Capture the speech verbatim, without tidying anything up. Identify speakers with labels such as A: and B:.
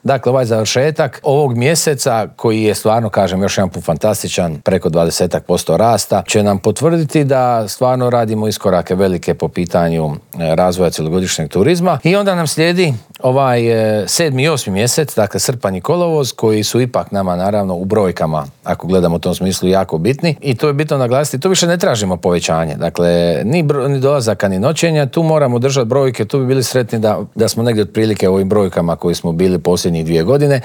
A: Dakle, ovaj završetak ovog mjeseca, koji je stvarno, kažem, još jedan put fantastičan, preko dvadeset posto rasta, će nam potvrditi da stvarno radimo iskorake velike po pitanju razvoja cjelogodišnjeg turizma. I onda nam slijedi ovaj sedmi i osmi mjesec, dakle srpanj i kolovoz, koji su ipak nama naravno u brojkama, ako gledamo u tom smislu, jako bitni. I to je bitno naglasiti, tu više ne tražimo povećanje. Dakle, ni, bro, ni dolazaka, ni noćenja, tu moramo držati brojke, tu bi bili sretni da, da smo negdje otprilike u ovim brojkama koji smo bili posljednjih dvije godine.